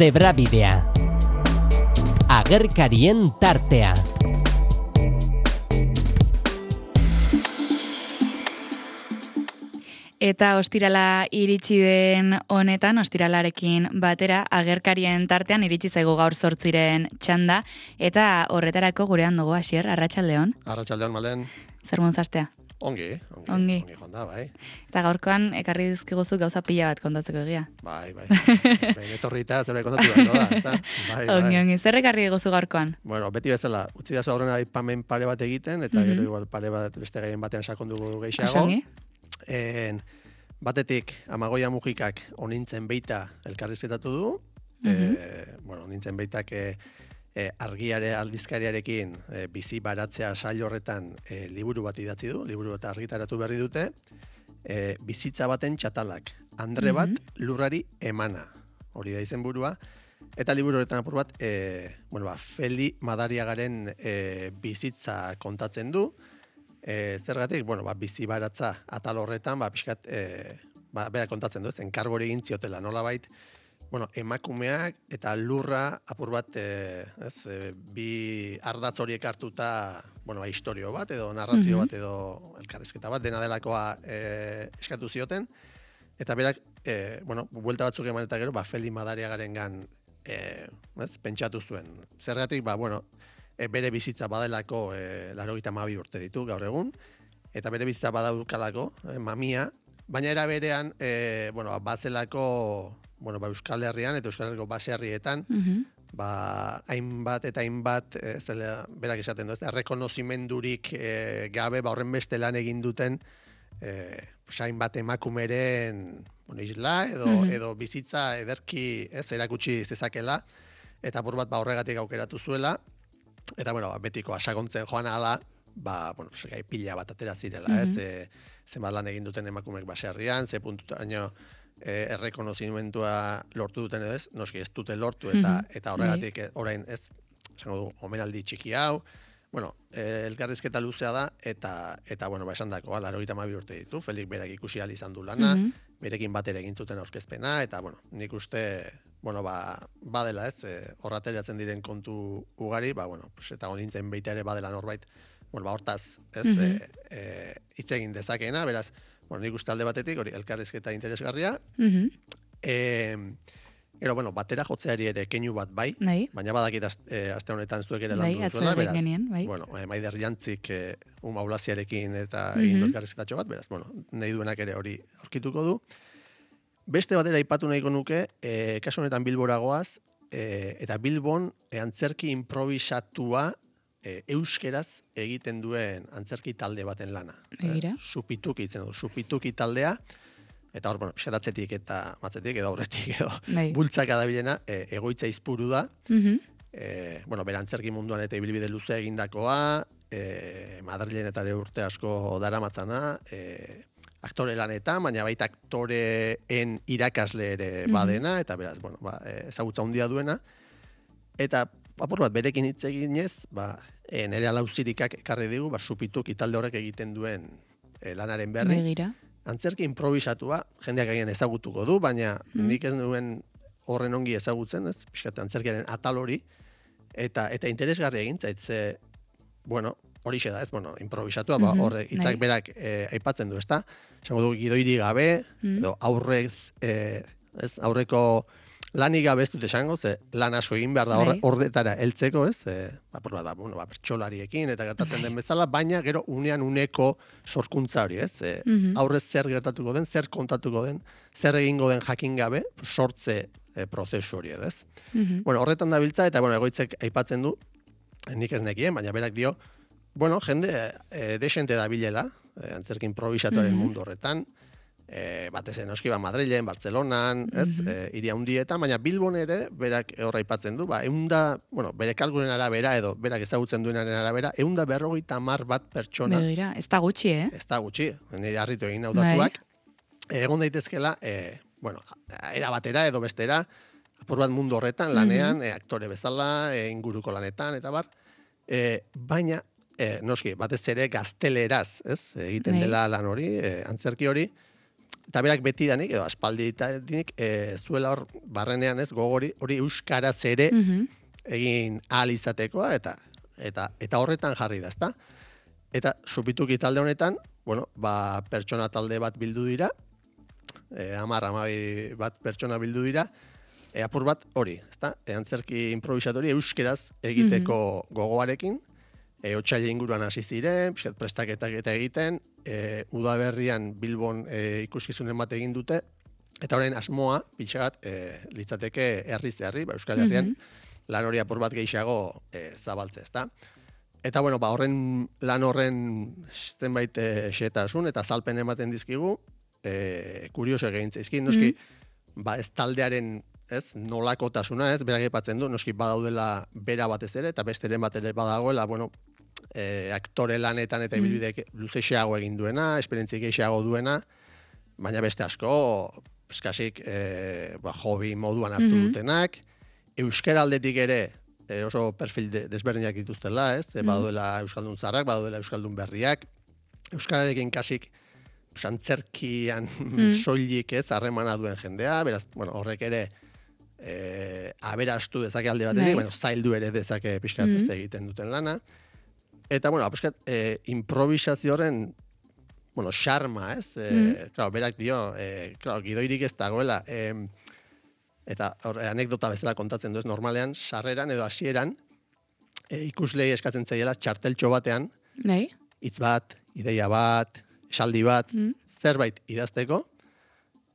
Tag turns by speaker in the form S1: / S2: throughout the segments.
S1: Zebrabidea. Agerkarien tartea.
S2: Eta ostirala iritsi den honetan, ostiralarekin batera, agerkarien tartean iritsi zaigu gaur 8 txanda, eta horretarako gurean dugu Asier, arratsaldeon.
S3: Arratsaldeon, Malen.
S2: Zer munzastea?
S3: Ongi joan da, bai.
S2: Eta gaurkoan ekarri dizkiguzu gauza pila bat kontatzeko egia.
S3: Bai. Netorrita zerbait kontatu behar da, ezta? Bai.
S2: Ongi. Zer ekarri diguzu gaurkoan?
S3: Bueno, beti bezala, utzi dazu aurrena aipamen pare bat egiten, eta gero igual pare bat beste gaien batean sakondugu gehiago.
S2: Osongi.
S3: Batetik, Amagoia Mujikak onintzen beita elkarrizketatu du. Onintzen beitak argiare aldizkariarekin bizi baratzea sail horretan liburu bat idatzi du, liburu bat argitaratu berri dute. Bizitza baten txatalak, andre bat lurrari emana, hori da izenburua. Eta liburu horretan apur bat, Feli Madariagaren bizitza kontatzen du. Zergatik, bizi baratza atal horretan, pixkat, bera kontatzen du, enkargori egin ziotela, nolabait, emakumeak eta lurra apur bat, bi ardatz horiek hartuta, historio bat edo narrazio bat edo elkarrizketa bat, dena delakoa eskatu zioten, eta berak, buelta batzuk eman eta gero, Feli Madariagarengan pentsatu zuen. Zergatik, bere bizitza badelako 92 urte ditu gaur egun, eta bere bizitza badaukalako, mamia, baina era berean, bazelako, Euskal Herrian eta Euskal Herriko baserrietan, hainbat eta hainbat, berak esaten du, errekonozimendurik gabe, horren beste lan egin duten, hainbat emakumeren isla edo bizitza ederki erakutsi zezakela, eta apur bat horregatik aukeratu zuela, eta betiko asagontzen joan ala, gai pila bat atera zirela, zenbat lan egin duten emakumeek baserrian, ze puntutaino errekonozimendua lortu duten edo ez, noski ez dute lortu, eta horregatik orain ez, esango du, omenaldi txiki hau, elkarrizketa luzea da, eta esan dako, 92 urte ditu, Felik berak ikusi ahal izan du lana, berekin batera egin zuten aurkezpena, eta nik uste, badela ez, horrateratzen diren kontu ugari, eta honintzen beita ere badela norbait, hortaz ez, hitz egin dezakeena, beraz, nik uste alde batetik, hori elkarrizketa interesgarria, Gero, batera jotzeari ere keinu bat bai, baina badakit aste honetan zuek ere landu duzuela, beraz, Maider Jantzik maulaziarekin eta egin elkarrizketatxo bat, beraz, nahi duenak ere hori aurkituko du. Beste batera aipatu nahiko nuke, kasu honetan Bilbora goaz, eta Bilbon antzerki improvisatua euskeraz egiten duen antzerki talde baten lana. Supituki izen du, supituki taldea, eta hor, piskatatzetik eta matzetik edo aurretik edo bultzaka da bilena, egoitza izpuru da, bera antzerki munduan eta ibilbide luze egindakoa, Madrilen eta ere urte asko daramatzana, aktore lanetan, baina baita aktoreen irakasle ere badena, eta beraz, ezagutza handia duena, eta apur bat berekin hitz eginez, nire alauzirikak ekarri digu, supituki talde horrek egiten duen lanaren berri. Antzerki improvisatua, jendeak agian ezagutuko du, baina nik ez duen horren ongi ezagutzen, ez, pixkat antzerkiaren atal hori, eta interesgarri egin zaitze, horixe da, ez, improvisatua, horre hitzak berak aipatzen du, ezta? Esango du gidoiri gabe, edo aurreko lanik gabe ez dut esango, ze lan asko egin behar da horretara heltzeko, ez? Bertsolariekin eta gertatzen den bezala, baina gero unean uneko sorkuntza hori, ez? Aurrez zer gertatuko den, zer kontatuko den, zer egingo den jakin gabe, sortze prozesu hori, ez? Horretan dabiltza, eta egoitzek aipatzen du, nik ez nekien, baina berak dio, jende desente dabilela, antzerki improvisatuaren mundu horretan, batez enoski Madrilen, Bartzelonan, hiri handietan, baina Bilbon ere, berak horra aipatzen du, bere kalkulen arabera edo berak ezagutzen duenaren arabera, 150 bat pertsona.
S2: Begira, ez da gutxi,
S3: Ez da gutxi, nire harritu egin hautatuak. Egon daitezkela, era batera edo bestera, apur bat mundu horretan, lanean, aktore bezala, inguruko lanetan, eta bar, baina, noski, batez ere gazteleraz, egiten dela lan hori, antzerki hori, eta berak betidanik, edo aspalditanik, zuela hor barrenean ez gogori, hori euskaraz ere egin ahal izatekoa, eta horretan jarri da, ezta? Eta supituki talde honetan, bueno, pertsona talde bat bildu dira, 10-12 bat pertsona bildu dira, apur bat hori, ezta? Antzerki improvisatori euskeraz egiteko gogoarekin, otsaila inguruan hasi ziren, pixkat prestaketak eta egiten, udaberrian Bilbon ikuskizunen bat egin dute, eta orain asmoa, pixkat, litzateke herriz herri, Euskal Herrian, lan hori apur bat gehiago zabaltze, ezta? Eta, bueno, lan horren zenbait xetasun eta zalpen ematen dizkigu, kurioso egin zaizkin, noski, ez taldearen, ez, nolakotasuna, ez, berak aipatzen du, noski badaudela bera batez ere, eta besteren bat ere badagoela, bueno, aktore lanetan eta ibilbide luzexeago egin duena, esperientzik gehiago duena, baina beste asko, eskasik, hobi moduan hartu dutenak, euskara aldetik ere, oso perfil desberdinak dituztela, ez? Baduela euskaldun zarrak, baduela euskaldun berriak, euskararekin kasik antzerkian soilik ez harremana duen jendea, beraz, bueno, horrek ere aberastu dezake alde batetik, bueno, zaildu ere dezake pixkat ez egiten duten lana. Eta, bueno, pixkat improvisazioaren, bueno, xarma, ez? Claro, berak dio, claro, gidoirik ez dagoela, eta anekdota bezala kontatzen du ez, normalean, sarreran edo hasieran ikuslei eskatzen zaiela txarteltxo batean, hitz bat, ideia bat, esaldi bat, zerbait idazteko.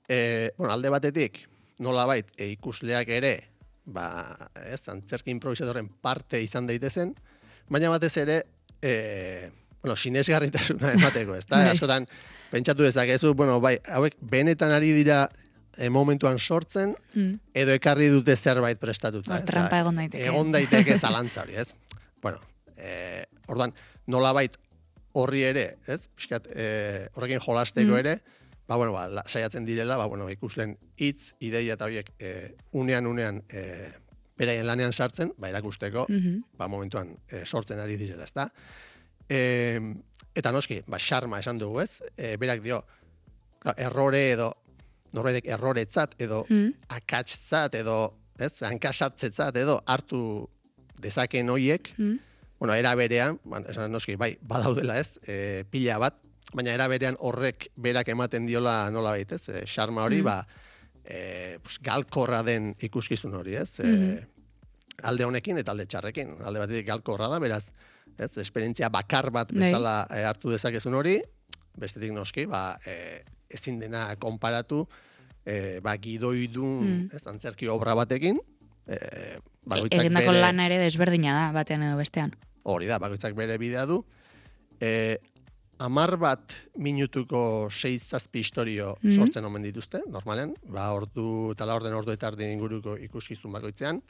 S3: Bueno, alde batetik, nolabait ikusleak ere, antzerki improvisatorren parte izan daitezen, baina batez ere, bueno, sinesgarritasuna emateko, ez da? Askotan, pentsatu dezakezu, bueno, bai, hauek benetan ari dira momentuan sortzen, edo ekarri dute zerbait prestatuta.
S2: Trampa egon daiteke.
S3: Egon daiteke zalantza hori, ez? Bueno, ordan nolabait horri ere, ez? Piskat, horrekin jolasteko ere, bueno, saiatzen direla, bueno, ikuslen hitz, ideia eta horiek unean beraien lanean sartzen, erakusteko, momentuan sortzen ari direla, ezta? Eta noski, xarma esan dugu, ez? Berak dio, errore edo norbaitek erroretzat edo akatszat edo, ez, hankasartzetzat edo hartu dezakeen hoiek, bueno, era berean, esan noski, bai, badaudela, ez, pila bat, baina era berean horrek berak ematen diola nolabait, ez, xarma hori, galkorra den ikuskizun hori, ez, alde honekin eta alde txarrekin, alde batetik galkorra da, beraz, ez, esperientzia bakar bat bezala hartu dezakezun hori, bestetik noski, ezin dena konparatu, gidoidun, antzerki obra batekin,
S2: egindako lana ere desberdina da, batean edo bestean.
S3: Hori da, bakoitzak bere bidea du. 10 minutuko 6-7 istorio sortzen omen dituzte, normalen, ordu eta ordu eta erdi inguruko ikuskizun bakoitzean.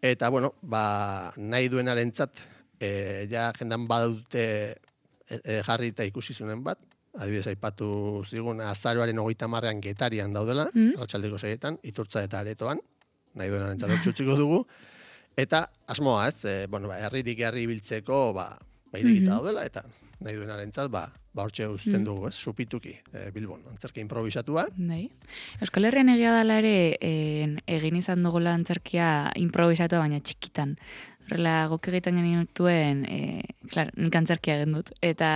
S3: Eta, bueno, nahi duenarentzat, ja jendan badute jarri eta ikuskizunen bat, adibidez aipatu zigun azaroaren 30ean Getarian daudela, arratsaldeko 6etan, Iturtza eta Aretoan, nahi duenarentzat hortzutziko dugu, eta asmoa, ez, herririk herri biltzeko, irekita daudela, eta nahi duenarentzat, hortxe uzten dugu, ez, supituki, Bilbon, antzerki improvisatua.
S2: Euskal Herrian egia dela ere, egin izan dugula antzerkia improvisatua, baina txikitan. Horrela, gok egiten genituen, nik antzerkia egin dut. Eta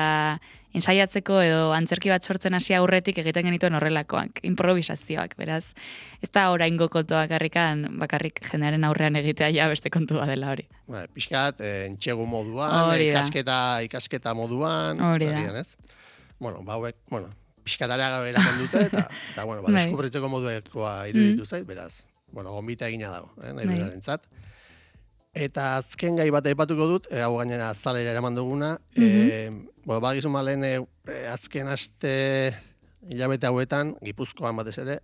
S2: ensaiatzeko edo antzerki bat sortzen hasi aurretik egiten genituen horrelakoak, improvisazioak, beraz. Ez da oraingo kontua bakarrik jendearen aurrean egitea ja beste kontua dela hori.
S3: Pixkat, entxegu moduan, ikasketa moduan, ez? Pixkatarea eraman dute, eta deskubritzeko moduekoa iruditu zait, beraz, gonbita egina dago, nahi duenarentzat. Eta azken gai bat aipatuko dut, hau gainera azalera eraman duguna, bagizun malen azken aste hilabete hauetan, Gipuzkoan batez ere,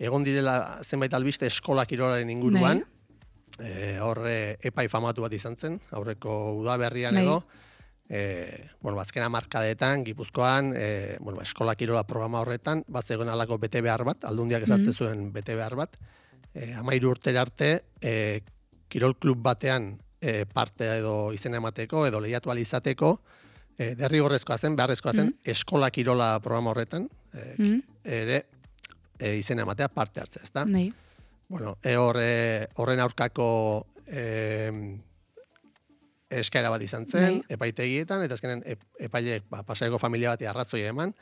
S3: egon direla zenbait albiste eskola kirolaren inguruan, horre epai famatu bat izan zen, aurreko udaberrian edo, azken hamarkadetan, Gipuzkoan, eskola kirola programa horretan, bat zegoen alako bete behar bat, aldundiak ezartzen zuen bete behar bat, 13 urtera arte, kirol klub batean parte edo izena emateko, edo lehiatu alizateko, derrigorrezkoa zen, beharrezkoa zen, eskola kirola programa horretan, ere izena ematea parte hartzea, ezta?
S2: Bai.
S3: Bueno, horren aurkako eskaera bat izan zen, epaitegietan, eta azkenen epaileek Pasaiako familia bati arrazoia eman,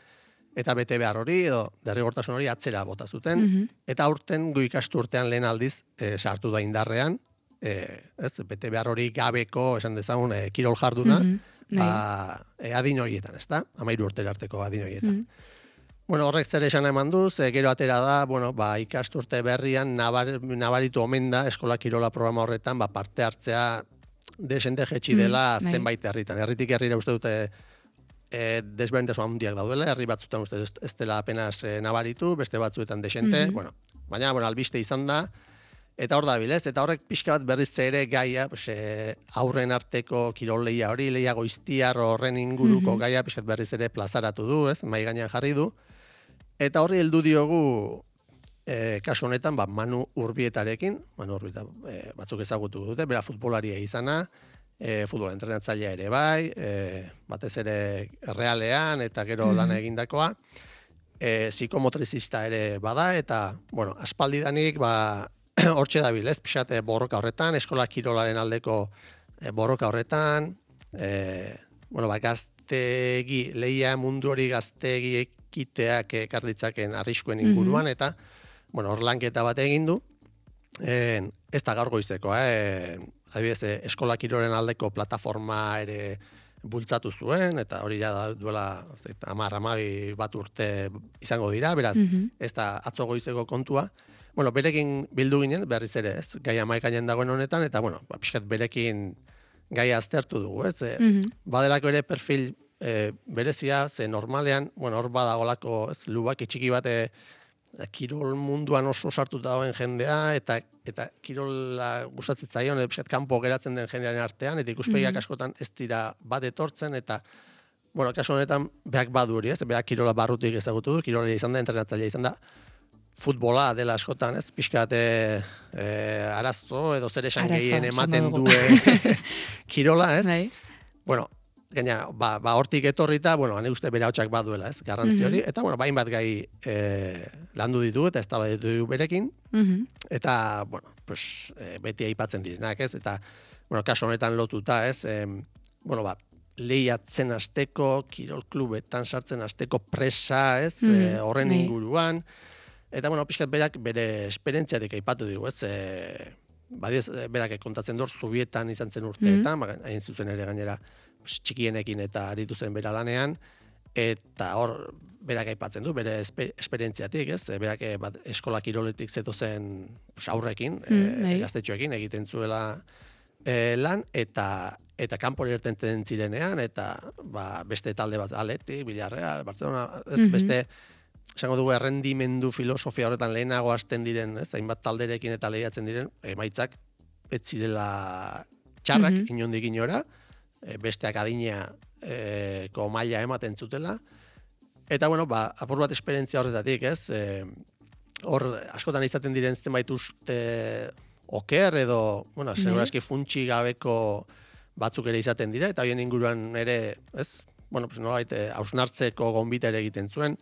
S3: eta bete behar hori, edo derrigortasun hori atzera bota zuten, eta aurten gu ikasturtean lehen aldiz sartu da indarrean, bete behar hori gabeko, esan dezagun, kirol jarduna, adin horietan, ez da? 13 urtera arteko adin horietan. Bueno, horrek zer esan eman du, gero atera da, bueno, ikasturte berrian nabaritu omen da eskola kirola programa horretan, parte hartzea desente jetxi dela zenbait herritan. Herritik herrira uste dute desberdintasun handiak daudela, herri batzutan uste ez dela apenas nabaritu, beste batzuetan desente, baina albiste izan da, eta hor da bilez, eta horrek pixka bat berriz ere gaia, aurren arteko kirol lehia hori, lehia goiztiar horren inguruko gaia, pixka berriz ere plazaratu du, mai gainean jarri du, eta horri heldu diogu kasu honetan, Manu Urbietarekin, Manu Urbieta batzuk ezagutu dute, bera futbolaria izana, futbol entrenatzailea ere bai, batez ere Realean eta gero lana egindakoa, psikomotrizista ere bada, eta, bueno, aspaldidanik, hortxe dabil, ez, pixat borroka horretan, eskola kirolaren aldeko borroka horretan, gaztegi, lehia mundu hori gaztegi ekiteak ekarditzaken arriskuen inguruan, eta, hor lanketa bat egin du, ez da gaur goizekoa, adibidez, eskola kirolen aldeko plataforma ere bultzatu zuen, eta hori ja duela 10-12 bat urte izango dira, beraz, ez da atzo goizeko kontua. Bueno, berekin bildu ginen, berriz ere, ez, gaia maikainen dagoen honetan, eta, pixkat berekin gaia aztertu dugu, ez, badelako ere perfil berezia, ze normalean, hor badagolako, ez, lubaki txiki bate, kirol munduan oso sartu dagoen jendea, eta kirola gustatzen zaion, edo pixkat kanpo geratzen den jendearen artean, eta ikuspegiak askotan ez dira bat etortzen, eta, kasu honetan, behak badu hori, ez, behak kirola barrutik ezagutu du, kirola izan da, entrenatzailea izan da, futbola dela askotan, ez, pixkat arazo, edo zer esan gehien ematen duen kirola, ez? Bueno, gaina, hortik etorrita, hane uste bere hautsak baduela, ez, garrantzi hori, eta, bain bat gai landu ditu, eta ez da ditu berekin, eta, beti aipatzen direnak, ez, eta, kasu honetan lotuta, ez, lehiatzen hasteko, kirol klubetan sartzen hasteko presa, ez, horren inguruan, eta, pixkat berak bere esperientziatik aipatu dugu, ez, berak kontatzen dut, Zubietan izan zen urteetan, hain zuzen ere gainera, txikienekin eta aritu zen bera lanean, eta hor berak aipatzen du, bere esperientziatik, ez? Berak eskola kiroletik zetozen aurrekin, gaztetxoekin egiten zuela lan, eta kanpora irtenten zirenean, eta beste talde bat, Athletic, Villarreal, Barcelona, beste, esango dugu, errendimendu filosofia horretan lehenago hasten diren, ez? Hainbat talderekin eta lehiatzen diren, emaitzak ez zirela txarrak, inondik inora, besteak adineko maila ematen zutela, eta, apur bat esperientzia horretatik, ez, hor, askotan izaten diren zenbait uste oker, edo, segurazki funtsi gabeko batzuk ere izaten dira, eta horien inguruan ere, ez, nolabait, hausnartzeko gonbita ere egiten zuen,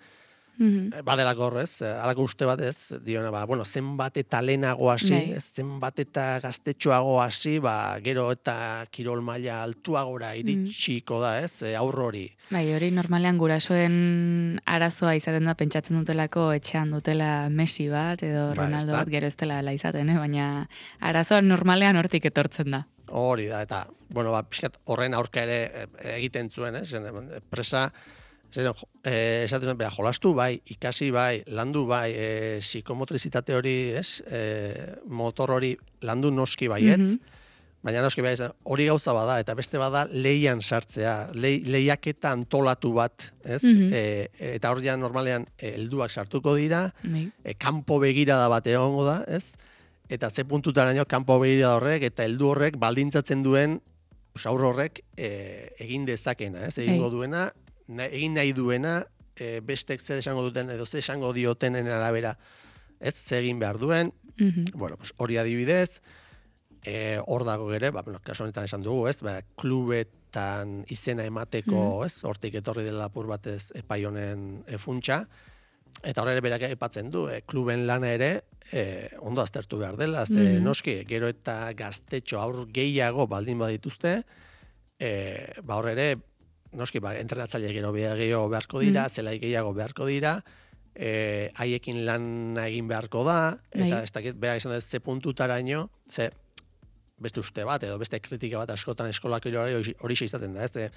S3: badelako horrez, alako uste bat ez, diona, zenbat eta lehenago hasi, zenbat eta gaztetxoago hasi, gero eta kirol maila altuagora iritsiko da, ez, aurro hori.
S2: Hori normalean gurasoen arazoa izaten da, pentsatzen dutelako etxean dutela Messi bat, edo Ronaldo bat, gero ez dela izaten, baina arazoa normalean hortik etortzen da.
S3: Hori da, eta, pixkat horren aurka ere egiten zuen, presa, esaten zuen, jolastu bai, ikasi bai, landu bai, psikomotrizitate hori, motor hori landu noski baietz, baina noski bai, hori gauza bada, eta beste bada lehian sartzea, lehiaketa antolatu bat, eta hor ja normalean helduak sartuko dira, kanpo begirada bat egongo da, eta ze puntutaraino kanpo begirada horrek, eta heldu horrek baldintzatzen duen, aurro horrek egin dezakena, egingo duena, egin nahi duena, bestek zer esango duten, edo zer esango diotenen arabera, zer egin behar duen, hori adibidez, hor dago ere, kasu honetan esan dugu, klubetan izena emateko, hortik etorri dela apur batez epai honen funtsa, eta horre berak aipatzen du, kluben lana ere ondo aztertu behar dela, ze noski, gero eta gaztetxo aur gehiago baldin badituzte, hor ere, noski, entrenatzaile gero gehiago beharko dira, zelai gehiago beharko dira, haiekin lan egin beharko da, eta ez dakit, beha izan ze puntutaraino, ze beste uste bat, edo beste kritika bat askotan eskolak hori izaten da, ez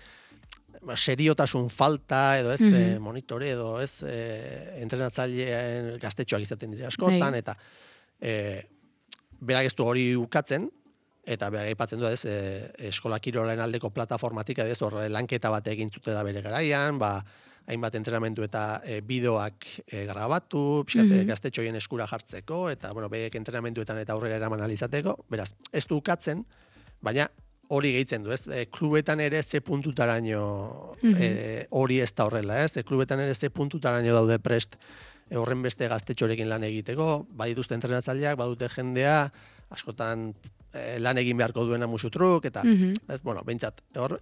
S3: seriotasun falta, edo ez monitore, edo ez entrenatzaileen gaztetxoak izaten dira askotan, eta berak ez du hori ukatzen, eta berak aipatzen du ez, eskola kirolen aldeko plataformatik, ez hor lanketa bat egin zute da bere garaian, hainbat entrenamendu eta bideoak grabatu, gaztetxoien eskura jartzeko, eta berak entrenamenduetan eta aurrera eraman alizateko, beraz, ez du ukatzen, baina hori gehitzen du, ez? Klubetan ere ze puntutaraino hori ez da horrela, ez? Klubetan ere ze puntutaraino daude prest horren beste gaztetxorekin lan egiteko, badituzte entrenatzaileak, badute jendea, askotan lan egin beharko duena musutruk, eta, ez, behintzat, hor,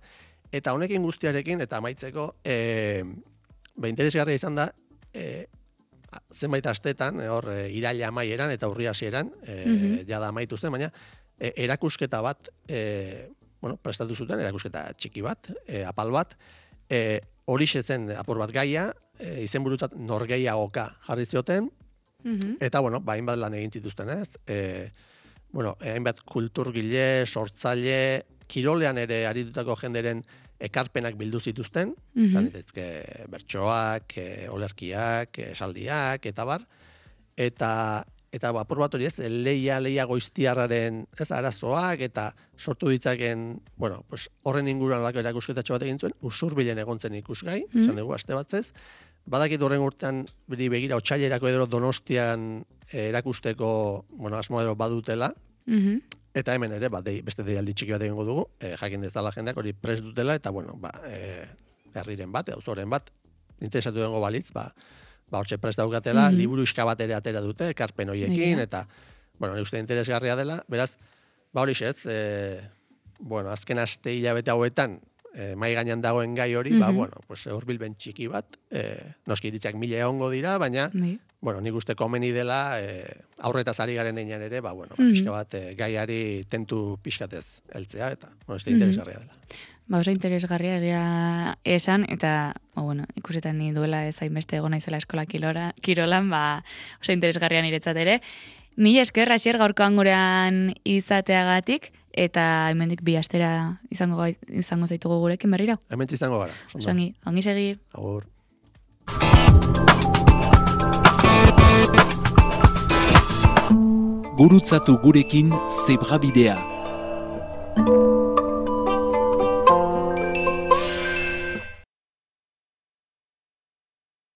S3: eta honekin guztiarekin, eta amaitzeko, interesgarria izan da, zenbait astetan, hor, iraila amaieran eta urri hasieran, jada amaitu zen, baina, erakusketa bat, prestatu zuten, erakusketa txiki bat, apal bat, hori zen apur bat gaia, izenburutzat norgeiagoka jarri zioten, eta, hainbat lan egin zituzten, ez? Hainbat kulturgile, sortzaile, kirolean ere aritutako jenderen ekarpenak bildu zituzten, izan ditezke bertsoak, olerkiak, esaldiak, eta bar, eta apur bat hori ez, leia goiztiarraren ez arazoak, eta sortu ditzaken, horren inguruan lako erakusketatxo bat egin zuen, Usurbilen egontzen ikusgai, esan dugu, aste batzez, badakit horren urtean begira otsailerako edo Donostian erakusteko, asmo edo badutela, eta hemen ere, beste deialdi txiki bat egingo dugu, jakin dezala jendeak hori prest dutela, eta herriren bat, auzoren bat, interesatu dengo balitz, hortxe prest daukatela, liburu iska bat ere atera dute, ekarpen horiekin, eta, nire uste interesgarria dela, beraz, hori ez, azken aste hilabete hauetan, mai gainean dagoen gai hori, hurbilben txiki bat, noski iritzak 1000 egongo dira, baina, nik uste komeni dela, aurretaz ari garen einan ere, pixka bat gaiari tentu pixkatez heltzea, eta, ez interesgarria dela.
S2: Oso interesgarria egia esan, eta, ikusetan ni duela ez hainbeste egon naizela eskola kirolan, oso interesgarria niretzat ere. Mila esker, Asier, gaurkoan gurean izateagatik, eta hemendik bi astera izango zaitugu gurekin berriro.
S3: Hementsi izango gara.
S2: Ongi segi.
S3: Agur.
S1: Gurutzatu gurekin Zebrabidea.